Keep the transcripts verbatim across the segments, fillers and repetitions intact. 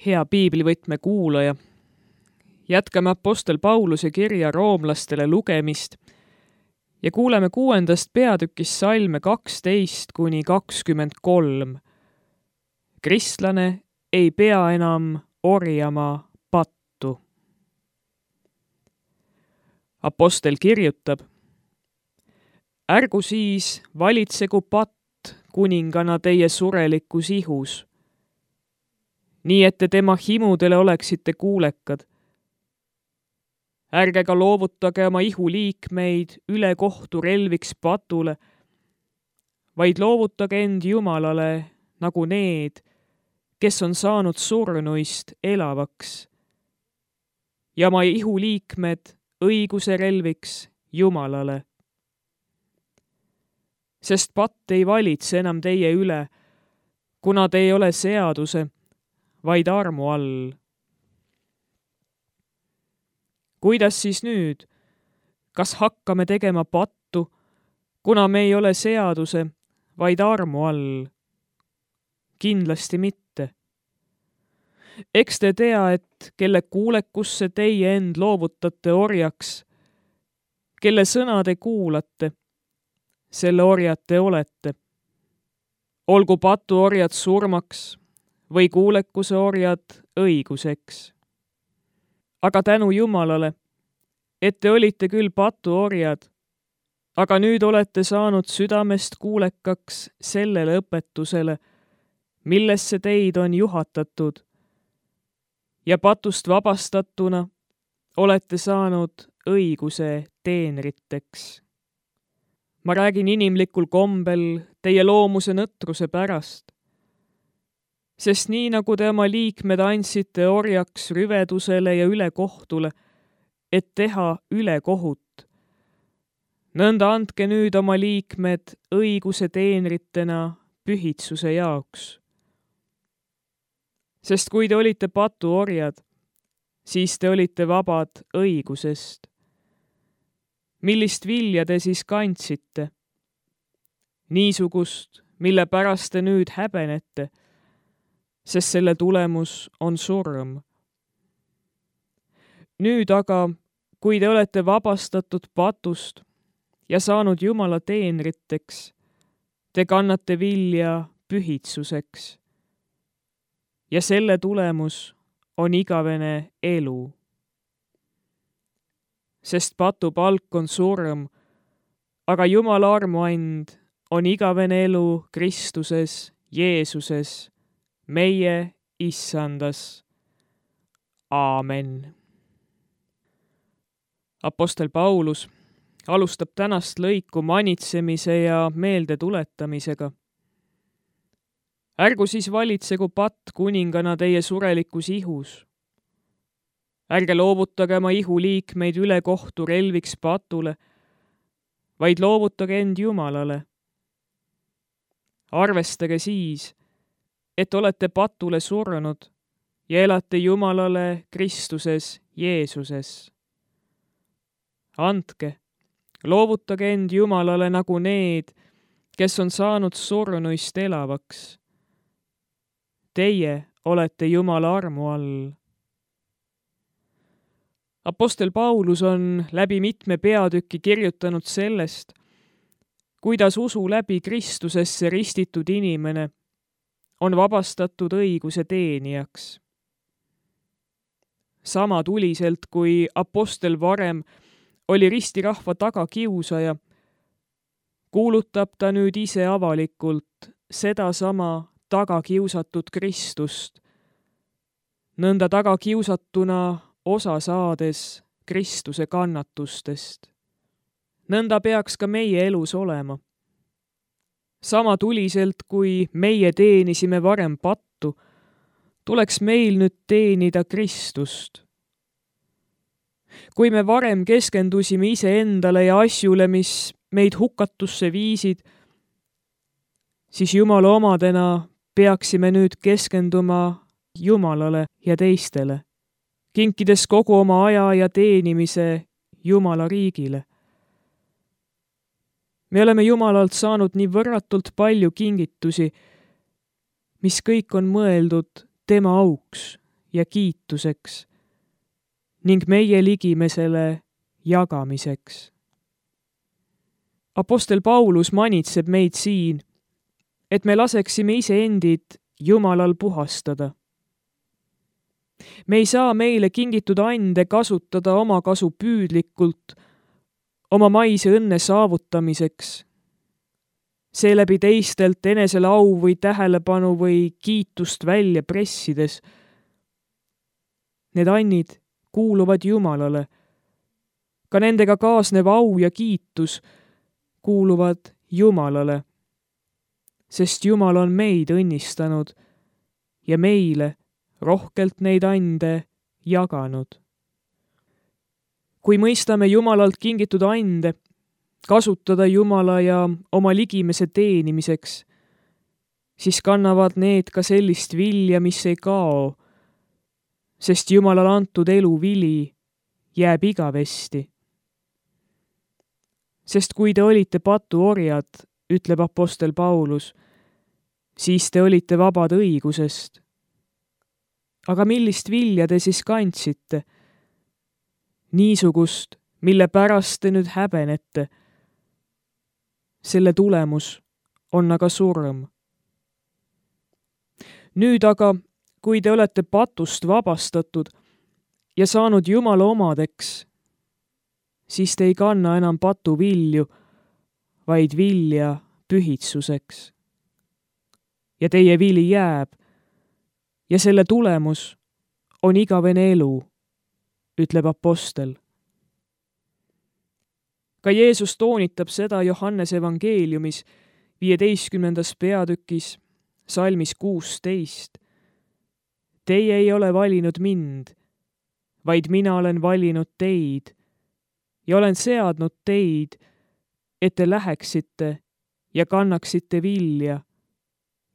Hea piiblivõtme kuulaja, jätkame Apostel Pauluse kirja roomlastele lugemist ja kuuleme kuuendast peatükist salme kaksteist kuni kakskümmend kolm. Kristlane ei pea enam orjama pattu. Apostel kirjutab: ärgu siis valitsegu patt kuningana teie surelikus ihus, nii et te tema himudele oleksite kuulekad. Ärge ka loovutage oma ihu liikmeid ülekohtu relviks patule, vaid loovutage end Jumalale nagu need, kes on saanud surnuist elavaks, ja oma ihu liikmed õiguse relviks Jumalale. Sest patt ei valitse enam teie üle, kuna te ei ole seaduse, vaid armu all. Kuidas siis nüüd? Kas hakkame tegema pattu, kuna me ei ole seaduse, vaid armu all? Kindlasti mitte. Eks te tea, et kelle kuulekusse teie end loovutate orjaks, kelle sõna te kuulate, selle orjad te olete. Olgu patuorjad surmaks või kuulekuse orjad õiguseks. Aga tänu Jumalale, et te olite küll patuorjad, aga nüüd olete saanud südamest kuulekaks sellele õpetusele, millesse teid on juhatatud, ja patust vabastatuna olete saanud õiguse teenriteks. Ma räägin inimlikul kombel teie loomuse nõtruse pärast, sest nii nagu te oma liikmed andsite orjaks rüvedusele ja ülekohtule, et teha ülekohut, nõnda andke nüüd oma liikmed õiguse teenritena pühitsuse jaoks. Sest kui te olite patuorjad, siis te olite vabad õigusest. Millist vilja te siis kandsite? Niisugust, mille pärast te nüüd häbenete, sest selle tulemus on surm. Nüüd aga, kui te olete vabastatud patust ja saanud Jumala teenriteks, te kannate vilja pühitsuseks. Ja selle tulemus on igavene elu. Sest patu palk on surm, aga Jumala armuand on igavene elu Kristuses, Jeesuses, meie Issandas. Aamen. Apostel Paulus alustab tänast lõiku manitsemise ja meelde tuletamisega. Ärgu siis valitsegu patt kuningana teie surelikus ihus. Ärge loovutage oma ihu liikmeid ülekohtu relviks patule, vaid loovutage end Jumalale. Arvestage siis, et olete patule surnud ja elate Jumalale Kristuses Jeesuses. Andke, loovutage end Jumalale nagu need, kes on saanud surnuist elavaks. Teie olete Jumala armu all. Apostel Paulus on läbi mitme peatüki kirjutanud sellest, kuidas usu läbi Kristusesse ristitud inimene on vabastatud õiguse teenijaks. Sama tuliselt, kui apostel varem oli ristirahva tagakiusaja, kuulutab ta nüüd ise avalikult sedasama tagakiusatud Kristust, nõnda tagakiusatuna osa saades Kristuse kannatustest. Nõnda peaks ka meie elus olema. Sama tuliselt, kui meie teenisime varem pattu, tuleks meil nüüd teenida Kristust. Kui me varem keskendusime iseendale ja asjule, mis meid hukatusse viisid, siis Jumala omadena peaksime nüüd keskenduma Jumalale ja teistele, kinkides kogu oma aja ja teenimise Jumala riigile. Me oleme Jumalalt saanud nii võrratult palju kingitusi, mis kõik on mõeldud tema auks ja kiituseks ning meie ligimesele jagamiseks. Apostel Paulus manitseb meid siin, et me laseksime iseendid Jumalal puhastada. Me ei saa meile kingitud ande kasutada oma kasu püüdlikult, oma maise õnne saavutamiseks, seeläbi teistelt enesele au või tähelepanu või kiitust välja pressides. Need annid kuuluvad Jumalale. Ka nendega kaasnev au ja kiitus kuuluvad Jumalale, sest Jumal on meid õnnistanud ja meile rohkelt neid ande jaganud. Kui mõistame Jumalalt kingitud ande kasutada Jumala ja oma ligimese teenimiseks, siis kannavad need ka sellist vilja, mis ei kao, sest Jumalal antud elu vili jääb igavesti. Sest kui te olite patuorjad, ütleb apostel Paulus, siis te olite vabad õigusest. Aga millist vilja te siis kandsite? Niisugust, mille pärast te nüüd häbenete. Selle tulemus on aga surm. Nüüd aga, kui te olete patust vabastatud ja saanud Jumala omadeks, siis te ei kanna enam patu vilju, vaid vilja pühitsuseks. Ja teie vili jääb ja selle tulemus on igavene elu, ütleb apostel. Ka Jeesus toonitab seda Johannese evangeeliumis viieteistkümnendas peatükis salmis kuusteist. Teie ei ole valinud mind, vaid mina olen valinud teid ja olen seadnud teid, et te läheksite ja kannaksite vilja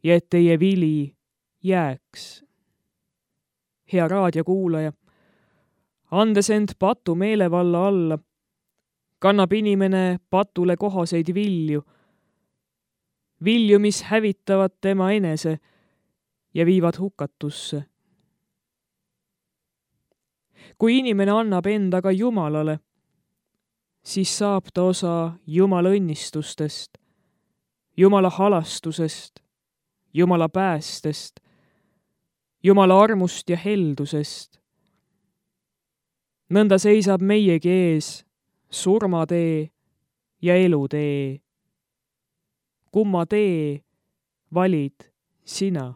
ja et teie vili jääks. Hea raadiokuulaja, andes end patu meelevalla alla, kannab inimene patule kohaseid vilju, vilju, mis hävitavad tema enese ja viivad hukatusse. Kui inimene annab endaga Jumalale, siis saab ta osa Jumala õnnistustest, Jumala halastusest, Jumala päästest, Jumala armust ja heldusest. Nõnda seisab meiegi ees surmatee ja elutee. Kumma tee valid sina?